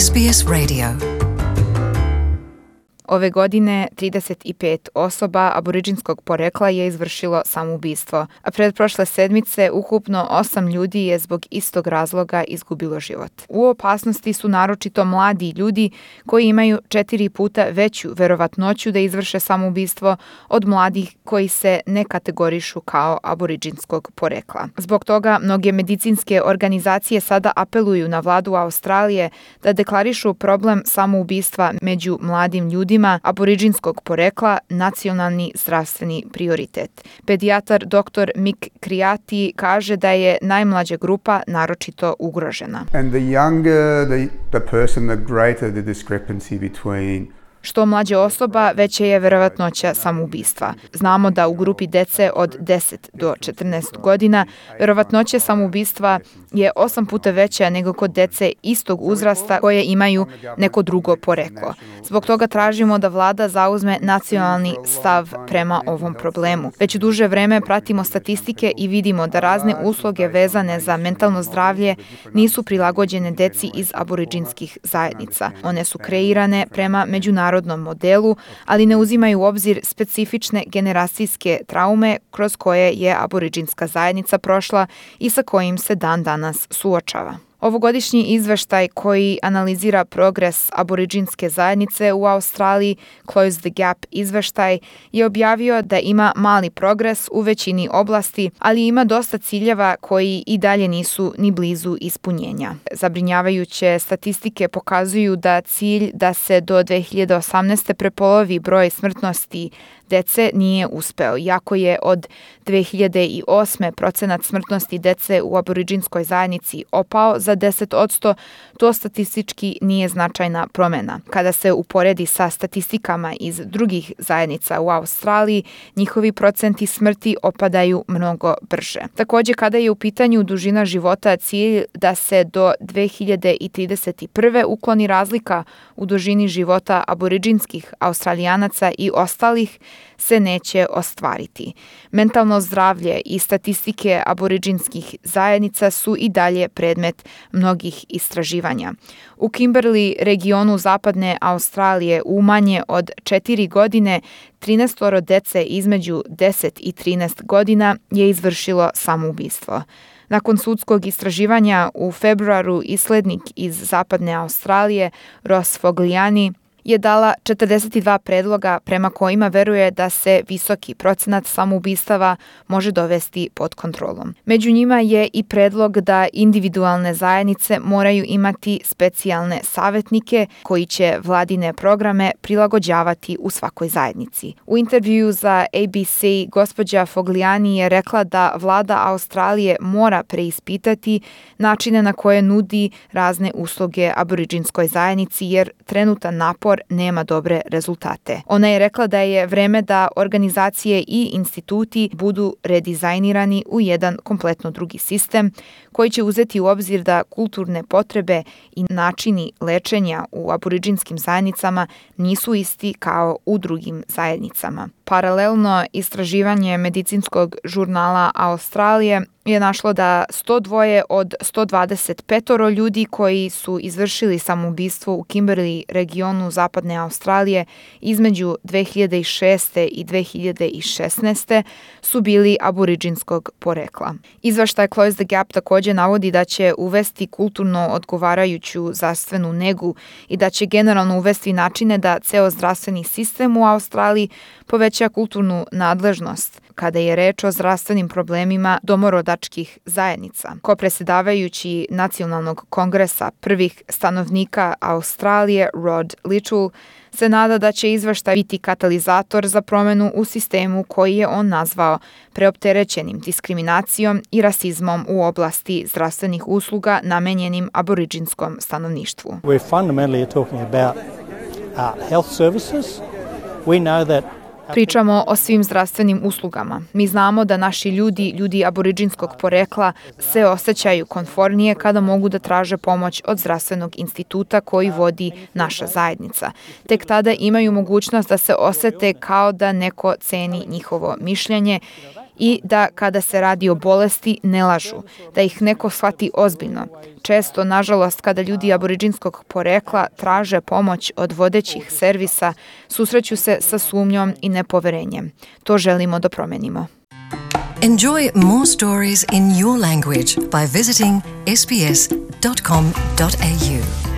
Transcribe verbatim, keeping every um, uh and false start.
S B S Radio. Ove godine trideset pet osoba aboridžinskog porekla je izvršilo samoubistvo, a pretprošle sedmice ukupno osam ljudi je zbog istog razloga izgubilo život. U opasnosti su naročito mladi ljudi koji imaju četiri puta veću verovatnoću da izvrše samoubistvo od mladih koji se ne kategorišu kao aboridžinskog porekla. Zbog toga mnoge medicinske organizacije sada apeluju na vladu Australije da deklarišu problem samoubistva među mladim ljudima aboridžinskog porekla nacionalni zdravstveni prioritet. Pedijatar doktor Mick Criati kaže da je najmlađa grupa naročito ugrožena. And the younger the, the person, the greater the discrepancy between Što mlađa osoba, veća je verovatnoća samoubistva. Znamo da u grupi dece od deset do četrnaest godina verovatnoća samoubistva je osam puta veća nego kod dece istog uzrasta koje imaju neko drugo poreklo. Zbog toga tražimo da vlada zauzme nacionalni stav prema ovom problemu. Već duže vreme pratimo statistike i vidimo da razne usluge vezane za mentalno zdravlje nisu prilagođene deci iz aboridžinskih zajednica. One su kreirane prema međunarodnom modelu, ali ne uzimaju u obzir specifične generacijske traume kroz koje je aboridžinska zajednica prošla i sa kojim se dan danas suočava. Ovogodišnji izveštaj koji analizira progres aboridžinske zajednice u Australiji, Close the Gap izveštaj, je objavio da ima mali progres u većini oblasti, ali ima dosta ciljeva koji i dalje nisu ni blizu ispunjenja. Zabrinjavajuće statistike pokazuju da cilj da se do dve hiljade osamnaeste. prepolovi broj smrtnosti dece nije uspeo, iako je od dve hiljade osme. procenat smrtnosti dece u aboridžinskoj zajednici opao za deset posto, to statistički nije značajna promena. Kada se uporedi sa statistikama iz drugih zajednica u Australiji, njihovi procenti smrti opadaju mnogo brže. Također, kada je u pitanju dužina života, cilj da se do dve hiljade trideset prve. ukloni razlika u dužini života aboridžinskih Australijanaca i ostalih, se neće ostvariti. Mentalno zdravlje i statistike aboridžinskih zajednica su i dalje predmet mnogih istraživanja. U Kimberley, regionu zapadne Australije, u manje od četiri godine trinaestoro dece između deset i trinaest godina je izvršilo samoubistvo. Nakon sudskog istraživanja u februaru islednik iz zapadne Australije, Ross Fogliani, je dala četrdeset dva predloga prema kojima veruje da se visoki procenat samoubistava može dovesti pod kontrolom. Među njima je i predlog da individualne zajednice moraju imati specijalne savjetnike koji će vladine programe prilagođavati u svakoj zajednici. U intervjuu za A B C gospođa Fogliani je rekla da vlada Australije mora preispitati načine na koje nudi razne usluge aboridžinskoj zajednici jer trenutan napor nema dobre rezultate. Ona je rekla da je vreme da organizacije i instituti budu redizajnirani u jedan kompletno drugi sistem koji će uzeti u obzir da kulturne potrebe i načini lečenja u aboridžinskim zajednicama nisu isti kao u drugim zajednicama. Paralelno, istraživanje medicinskog žurnala Australije je našlo da sto dva od sto dvadeset pet ljudi koji su izvršili samoubistvo u Kimberley regionu zapadne Australije između dve hiljade šeste. i dve hiljade šesnaeste. su bili aboridžinskog porekla. Izveštaj Close the Gap također navodi da će uvesti kulturno odgovarajuću zdravstvenu negu i da će generalno uvesti načine da ceo zdravstveni sistem u Australiji poveća kulturnu nadležnost kada je reč o zdravstvenim problemima domorodačkih zajednica. Ko predsjedavajući Nacionalnog kongresa prvih stanovnika Australije, Rod Littell, se nada da će izveštaj biti katalizator za promjenu u sistemu koji je on nazvao preopterećenim diskriminacijom i rasizmom u oblasti zdravstvenih usluga namenjenim aboridžinskom stanovništvu. We're fundamentally talking about uh, health services. We know that Pričamo o svim zdravstvenim uslugama. Mi znamo da naši ljudi, ljudi aboridžinskog porekla, se osjećaju konfornije kada mogu da traže pomoć od zdravstvenog instituta koji vodi naša zajednica. Tek tada imaju mogućnost da se osete kao da neko ceni njihovo mišljenje i da kada se radi o bolesti ne lažu, da ih neko shvati ozbiljno. Često, nažalost, kada ljudi aboriđinskog porekla traže pomoć od vodećih servisa, susreću se sa sumnjom i nepoverenjem. To želimo da promenimo. Enjoy more stories in your language by visiting s b s dot com dot a u.